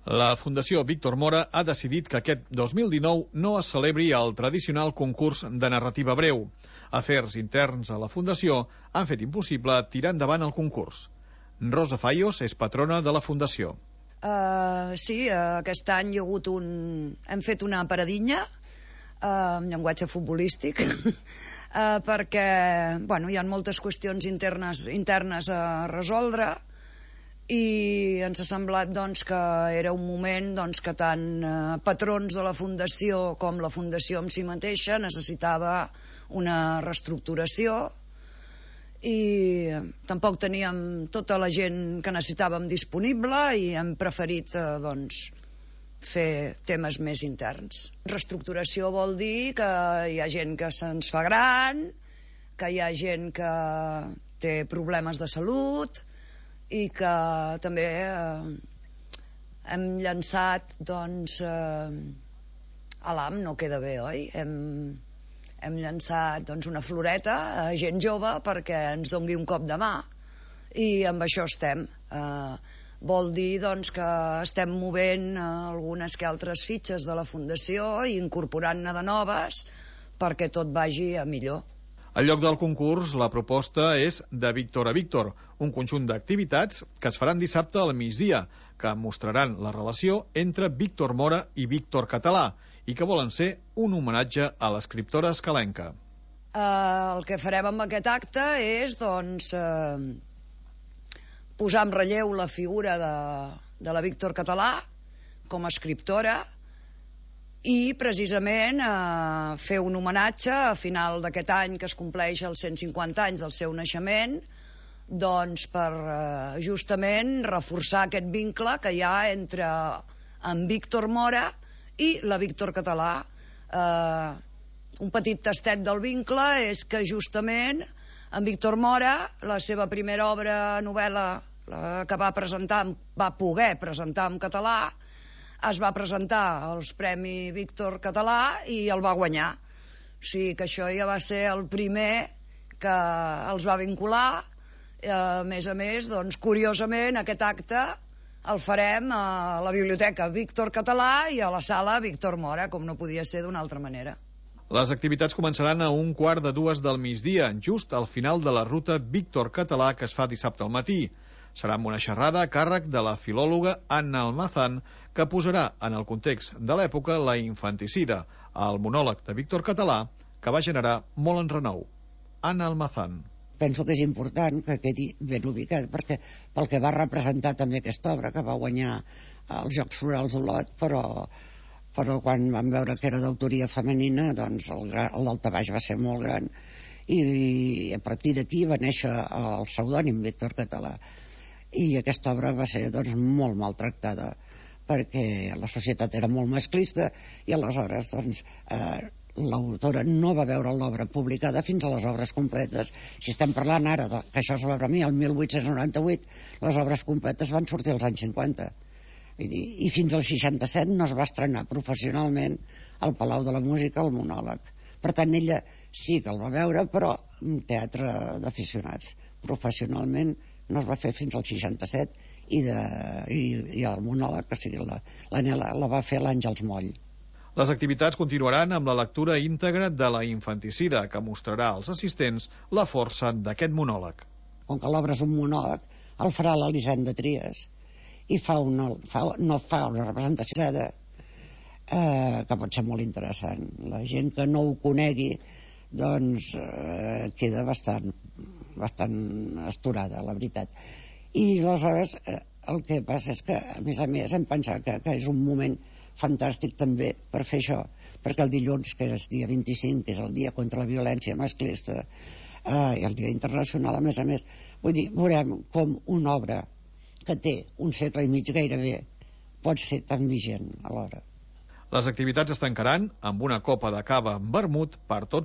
La Fundació Víctor Mora ha decidit que aquest 2019 no es celebri el tradicional concurs de narrativa breu. Afers interns a la Fundació han fet impossible tirar endavant el concurs. Rosa Fallos és patrona de la Fundació. Sí, aquest any hem fet una paradinha en llenguatge futbolístic perquè hi ha moltes qüestions internes a resoldre i ens ha semblat que era un moment que tant patrons de la Fundació com la Fundació en si mateixa necessitava una reestructuració i tampoc teníem tota la gent que necessitàvem disponible i hem preferit fer temes més interns. Reestructuració vol dir que hi ha gent que se'ns fa gran, que hi ha gent que té problemes de salut i que també hem llançat Alam no queda bé, oi? Hem llançat una floreta a gent jove perquè ens dongui un cop de mà i amb això estem. Vol dir que estem movent algunes que altres fitxes de la Fundació i incorporant-ne de noves perquè tot vagi a millor. Al lloc del concurs, la proposta és de Víctor a Víctor, un conjunt d'activitats que es faran dissabte al migdia, que mostraran la relació entre Víctor Mora i Víctor Català i que volen ser un homenatge a l'escriptora escalenca. El que farem amb aquest acte és posar en relleu la figura de la Víctor Català com a escriptora i precisament fer un homenatge a final d'aquest any que es compleix els 150 anys del seu naixement per justament reforçar aquest vincle que hi ha entre en Víctor Mora i la Víctor Català. Un petit tastet del vincle és que justament en Víctor Mora, la seva primera obra novel·la que va poder presentar en català, es va presentar als Premi Víctor Català i el va guanyar. O sigui que això ja va ser el primer que els va vincular. A més, curiosament, aquest acte el farem a la Biblioteca Víctor Català i a la Sala Víctor Mora, com no podia ser d'una altra manera. Les activitats començaran a 1:15 del migdia, just al final de la ruta Víctor Català que es fa dissabte al matí. Serà amb una xerrada a càrrec de la filòloga Anna Almazán, que posarà en el context de l'època la infanticida, el monòleg de Víctor Català, que va generar molt enrenou. Anna Almazán. Penso que és important que quedi ben ubicat, perquè pel que va representar també aquesta obra, que va guanyar els Jocs Florals d'Olot, però quan vam veure que era d'autoria femenina, el daltabaix va ser molt gran. I a partir d'aquí va néixer el pseudònim Víctor Català. I aquesta obra va ser molt maltractada, perquè la societat era molt masclista i aleshores l'autora no va veure l'obra publicada fins a les obres completes. Si estem parlant ara que això es va veure a mi el 1898, les obres completes van sortir als anys 50 i fins al 67 no es va estrenar professionalment al Palau de la Música el monòleg. Per tant, ella sí que el va veure, però en teatre d'aficionats. Professionalment no es va fer fins al 67 i el monòleg, o sigui, la va fer l'Àngels Moll. Les activitats continuaran amb la lectura íntegra de la infanticida, que mostrarà als assistents la força d'aquest monòleg. Com que l'obra és un monòleg, el farà l'Elisenda Trias i no fa una representació que pot ser molt interessant. La gent que no ho conegui queda bastant astorada, la veritat. I aleshores el que passa és que a més hem pensat que és un moment fantàstic també per fer això, perquè el dilluns, que és dia 25, que és el dia contra la violència masclista i el dia internacional, a més, vull dir, veurem com una obra que té un segle i mig gairebé pot ser tan vigent alhora. Les activitats es tancaran amb una copa de cava amb vermut per tots